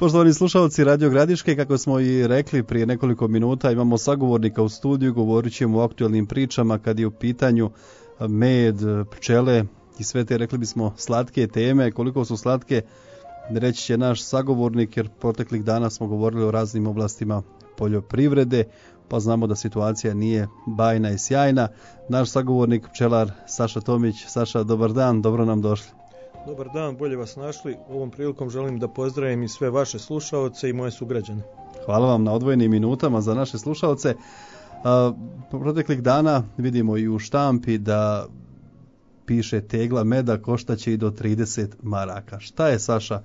Poštovani slušalci Radio Gradiške, kako smo i rekli prije nekoliko minuta, imamo sagovornika u studiju, govorit ćemo o aktualnim pričama kad je u pitanju med, pčele i sve te, rekli bismo, slatke teme. Koliko su slatke, reći će naš sagovornik, jer proteklih dana smo govorili o raznim oblastima poljoprivrede, pa znamo da situacija nije bajna i sjajna. Naš sagovornik, pčelar Saša Tomić. Saša, dobar dan, dobro nam došli. Dobar dan, bolje vas našli. Ovom prilikom želim da pozdravim i sve vaše slušaoce i moje sugrađane. Hvala vam na odvojenim minutama za naše slušaoce. Proteklih dana vidimo i u štampi da piše tegla meda koštaće i do 30 maraka. Šta je, Saša,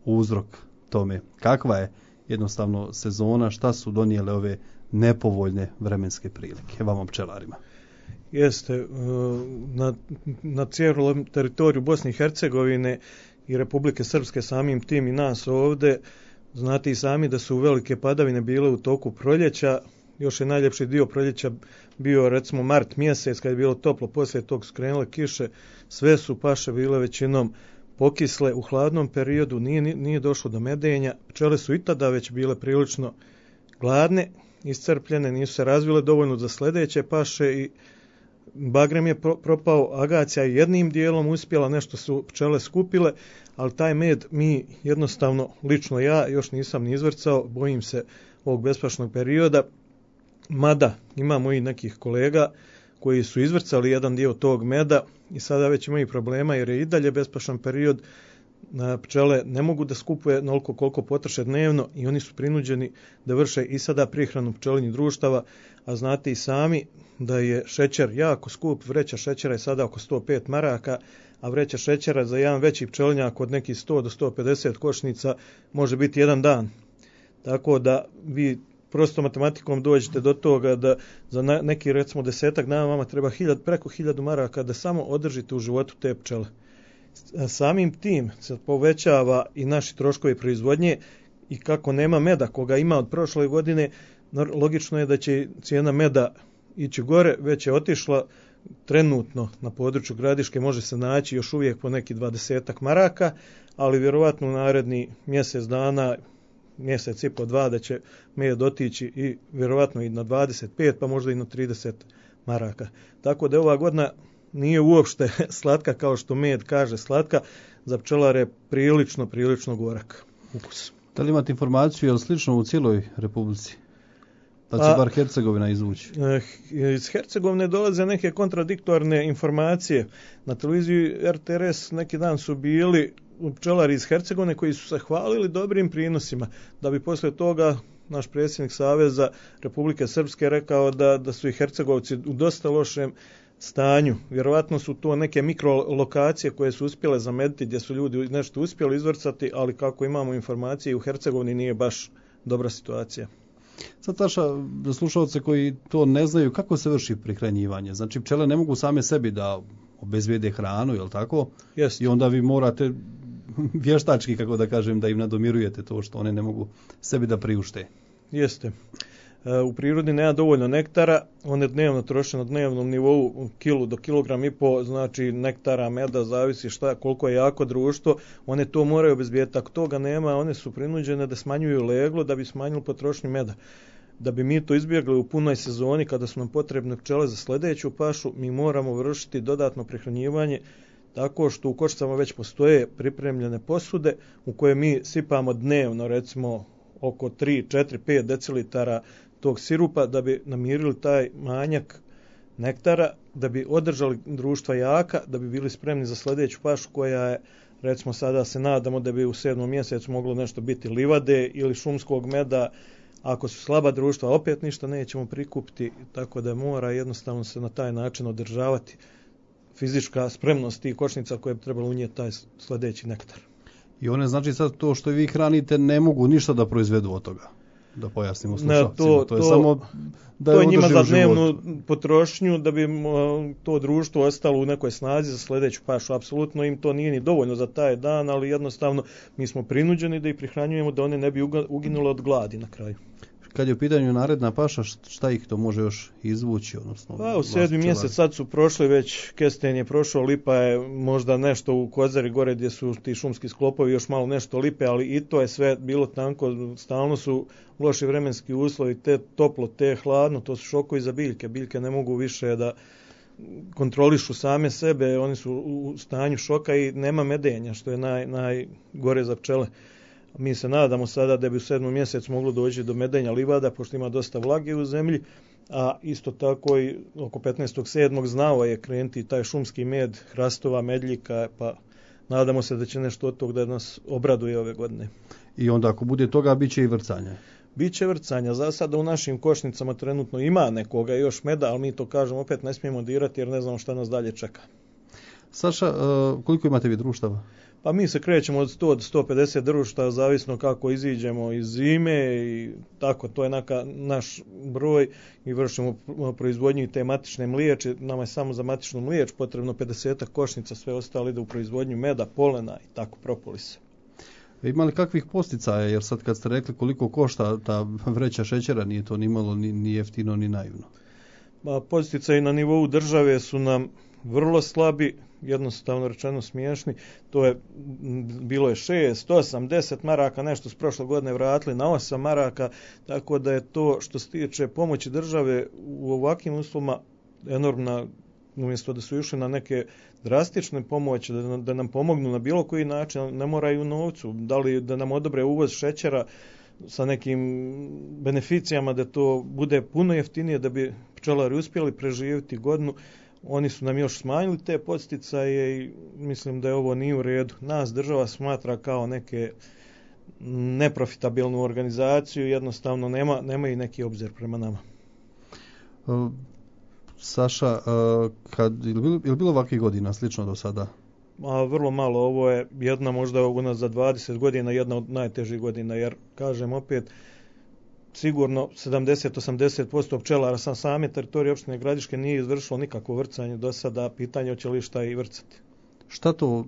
uzrok tome? Kakva je jednostavno sezona? Šta su donijele ove nepovoljne vremenske prilike vama pčelarima? Jeste, na cijelom teritoriju Bosne i Hercegovine i Republike Srpske, samim tim i nas ovdje, znate i sami da su velike padavine bile u toku proljeća. Još je najljepši dio proljeća bio recimo mart mjesec, kad je bilo toplo, poslije tog skrenule kiše, sve su paše bile većinom pokisle. U hladnom periodu nije došlo do medenja, pčele su i tada već bile prilično gladne, iscrpljene, nisu se razvile dovoljno za sljedeće paše i bagrem je propao, agacija je jednim dijelom uspjela, nešto su pčele skupile, ali taj med mi jednostavno, lično ja, još nisam ni izvrcao, bojim se ovog bespašnog perioda, mada imamo i nekih kolega koji su izvrcali jedan dio tog meda i sada već imaju problema jer je i dalje bespašan period. Pčele ne mogu da skupuje onoliko koliko potroše dnevno i oni su prinuđeni da vrše i sada prihranu pčelinjih društava, a znate i sami da je šećer jako skup, vreća šećera je sada oko 105 maraka, a vreća šećera za jedan veći pčelinjak od nekih 100 do 150 košnica može biti jedan dan. Tako da vi prosto matematikom dođete do toga da za neki recimo 10 dana vama treba preko 1000 maraka da samo održite u životu te pčele. Samim tim se povećava i naši troškovi proizvodnje i kako nema meda koga ima od prošle godine, logično je da će cijena meda ići gore, već je otišla trenutno na području Gradiške, može se naći još uvijek po neki 20 maraka, ali vjerovatno u naredni mjesec dana, mjesec i po dva, da će med otići i vjerovatno i na 25, pa možda i na 30 maraka. Tako da ova godina nije uopšte slatka kao što med kaže slatka, za pčelare prilično gorak ukus. Da li imate informaciju, je li slično u cijeloj Republici? Da će bar Hercegovina izvući? Iz Hercegovine dolaze neke kontradiktorne informacije. Na televiziji RTRS neki dan su bili pčelari iz Hercegovine koji su se hvalili dobrim prinosima, da bi poslije toga naš predsjednik Saveza Republike Srpske rekao da su i Hercegovci u dosta lošem stanju. Vjerovatno su to neke mikrolokacije koje su uspjele zamediti, gdje su ljudi nešto uspjeli izvrcati, ali kako imamo informacije, u Hercegovini nije baš dobra situacija. Sad, Saša, za slušalce koji to ne znaju, kako se vrši prihranjivanje? Znači, pčele ne mogu same sebi da obezbijede hranu, je li tako? Jest. I onda vi morate vještački, kako da kažem, da im nadomirujete to što one ne mogu sebi da priušte. Jeste. U prirodi nema dovoljno nektara, one dnevno troše na dnevnom nivou kilu do kilogram i po, znači nektara, meda, zavisi koliko je jako društvo, one to moraju obezbijeti. Ako toga nema, one su prinuđene da smanjuju leglo da bi smanjili potrošnju meda. Da bi mi to izbjegli u punoj sezoni, kada su nam potrebne pčele za sljedeću pašu, mi moramo vršiti dodatno prehranjivanje tako što u košicama već postoje pripremljene posude u koje mi sipamo dnevno, recimo oko 3, 4, 5 decilitara tog sirupa da bi namirili taj manjak nektara, da bi održali društva jaka, da bi bili spremni za sljedeću pašu koja je, recimo sada se nadamo da bi u 7. mjesecu moglo nešto biti livade ili šumskog meda. Ako su slaba društva, opet ništa nećemo prikupiti, tako da mora jednostavno se na taj način održavati fizička spremnost tih košnica koje bi trebalo unijeti taj sljedeći nektar. I one, znači, sad to što vi hranite ne mogu ništa da proizvedu od toga, da pojasnimo slušalcima. To je samo da je njima za dnevnu potrošnju, da bi to društvo ostalo u nekoj snazi za sljedeću pašu. Apsolutno im to nije ni dovoljno za taj dan, ali jednostavno mi smo prinuđeni da ih prihranjujemo da one ne bi uginule od gladi na kraju. kad je u pitanju naredna paša, šta ih to može još izvući? Odnosno, pa u 7. mjesec sad su prošli već, kesten je prošao, lipa je možda nešto u Kozari gore gdje su ti šumski sklopovi, još malo nešto lipe, ali i to je sve bilo tanko, stalno su loši vremenski uslovi, te toplo, te hladno, to su šokovi za biljke. Biljke ne mogu više da kontrolišu same sebe, oni su u stanju šoka i nema medenja, što je najgore za pčele. Mi se nadamo sada da bi u 7. mjesecu moglo doći do medenja livada, pošto ima dosta vlage u zemlji, a isto tako i oko 15.7. znao je krenuti taj šumski med, hrastova, medljika, pa nadamo se da će nešto od tog da nas obraduje ove godine. I onda ako bude toga, bit će i vrcanja. Biće vrcanja. Za sada u našim košnicama trenutno ima nekoga još meda, ali mi to kažemo opet ne smijemo dirati jer ne znamo šta nas dalje čeka. Saša, koliko imate vi društava? Pa mi se krećemo od 100 do 150 društava, zavisno kako iziđemo iz zime i tako, to je naš broj i vršimo proizvodnju te matične mliječe. Nama je samo za matičnu mliječ potrebno 50 košnica, sve ostalo ide u proizvodnju meda, polena i tako propolisa. Ima li kakvih posticaja, jer sad kad ste rekli koliko košta ta vreća šećera, nije to ni malo ni jeftino ni naivno? Posticaji na nivou države su nam vrlo slabi, jednostavno rečeno smiješni. To je bilo je 6, 8, 10 maraka, nešto s prošle godine vratili na 8 maraka, tako da je to što se tiče pomoći države u ovakvim uslovima enormna, umjesto da su išli na neke drastične pomoći, da nam pomognu na bilo koji način, ne moraju novcu, da li da nam odobre uvoz šećera sa nekim beneficijama, da to bude puno jeftinije, da bi pčelari uspjeli preživjeti godinu. Oni su nam još smanjili te podsticaje i mislim da je ovo nije u redu. Nas država smatra kao neke neprofitabilnu organizaciju, jednostavno nema i neki obzir prema nama. Saša, je li bilo ovakvih godina slično do sada? Vrlo malo, ovo je jedna možda za 20 godina, jedna od najtežih godina, jer kažem opet, sigurno 70-80% pčelara sa same teritorije opštine Gradiške nije izvršilo nikakvo vrcanje do sada, pitanje hoće li šta i vrcati. Šta to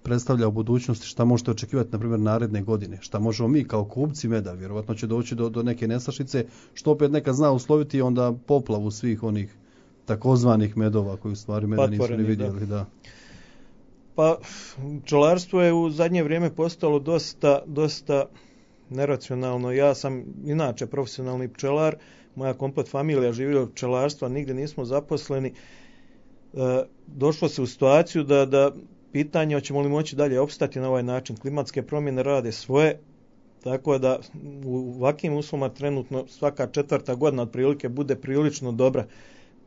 predstavlja u budućnosti, šta možete očekivati na primjer naredne godine, šta možemo mi kao kupci meda, vjerovatno će doći do neke nestašice, što opet neka zna usloviti i onda poplavu svih onih takozvanih medova koji u stvari meda nisu ni vidjeli. Da. Pa pčelarstvo je u zadnje vrijeme postalo dosta neracionalno. Ja sam inače profesionalni pčelar, moja komplet familija živi od pčelarstva, nigdje nismo zaposleni. Došlo se u situaciju da pitanje hoćemo li moći dalje opstati na ovaj način. Klimatske promjene rade svoje, tako da u ovakvim uslovima trenutno svaka 4. godina otprilike bude prilično dobra.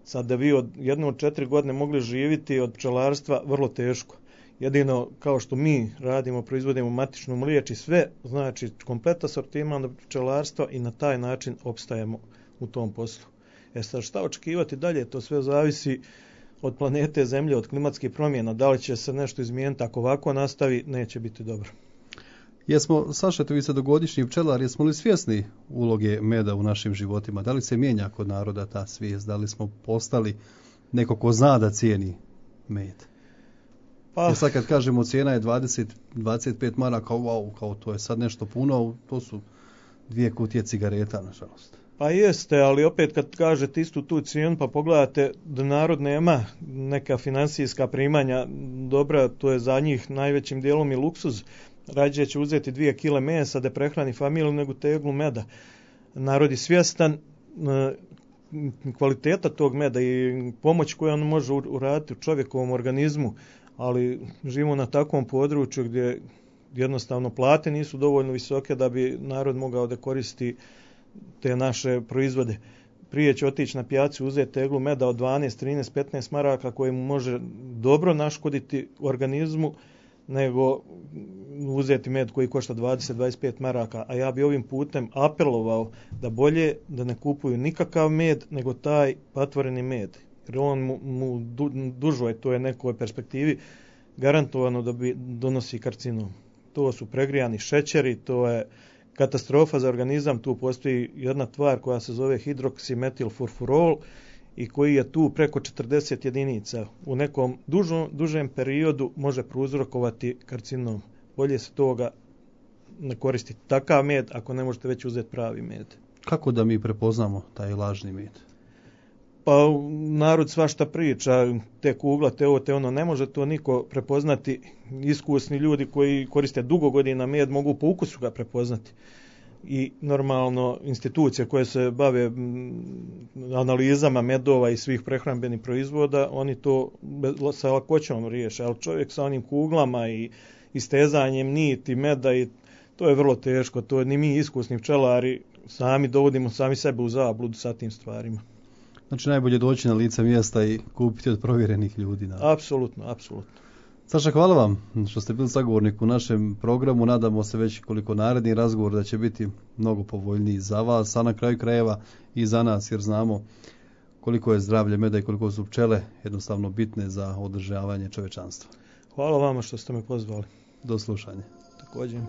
Sad da vi od 4 godine mogli živjeti od pčelarstva vrlo teško. Jedino kao što mi radimo, proizvodimo matičnu mliječ i sve, znači kompleta sortiman pčelarstva i na taj način opstajemo u tom poslu. Sad šta očekivati dalje, to sve zavisi od planete Zemlje, od klimatskih promjena, da li će se nešto izmijeniti, ako ovako nastavi, neće biti dobro. Saša, vi ste dugogodišnji pčelar, jesmo li svjesni uloge meda u našim životima? Da li se mijenja kod naroda ta svijest? Da li smo postali neko ko zna da cijeni med? Jer sad kad kažemo cijena je 25 maraka, kao to je sad nešto puno, to su 2 kutije cigareta, nažalost. Pa jeste, ali opet kad kažete istu tu cijenu, pa pogledate da narod nema neka financijska primanja dobra, to je za njih najvećim dijelom i luksuz. Rađe će uzeti 2 kile mesa da prehrani familiju nego teglu meda. Narod je svjestan kvaliteta tog meda i pomoć koju on može uraditi u čovjekovom organizmu, ali živimo na takvom području gdje jednostavno plate nisu dovoljno visoke da bi narod mogao da koristi te naše proizvode. Prije će otići na pijacu uzeti teglu meda od 12, 13, 15 maraka koje mu može dobro naškoditi organizmu, nego uzeti med koji košta 20-25 maraka. A ja bi ovim putem apelovao da bolje da ne kupuju nikakav med, nego taj patvoreni med. Jer on mu dužoj, to je nekoj perspektivi, garantovano da bi donosi karcinom. To su pregrijani šećeri, to je katastrofa za organizam. Tu postoji jedna tvar koja se zove hidroksimetilfurfurol i koji je tu preko 40 jedinica. U nekom dužem periodu može prouzrokovati karcinom. Bolje se toga ne koristiti takav med ako ne možete već uzeti pravi med. Kako da mi prepoznamo taj lažni med? Pa narod svašta priča, te kugla, te ovo, te ono, ne može to niko prepoznati. Iskusni ljudi koji koriste dugo godina med mogu po ukusu ga prepoznati. I normalno institucije koje se bave analizama medova i svih prehrambenih proizvoda, oni to sa lakoćom riješe, ali čovjek sa onim kuglama i istezanjem niti meda, i to je vrlo teško. To ni mi iskusni pčelari sami dovodimo sami sebe u zabludu sa tim stvarima. Znači najbolje doći na lice mjesta i kupiti od provjerenih ljudi. Apsolutno, apsolutno. Saša, hvala vam što ste bili sagovornik u našem programu. Nadamo se već koliko naredni razgovor da će biti mnogo povoljniji za vas, a na kraju krajeva i za nas, jer znamo koliko je zdravlje meda i koliko su pčele jednostavno bitne za održavanje čovječanstva. Hvala vama što ste me pozvali. Do slušanja. Također.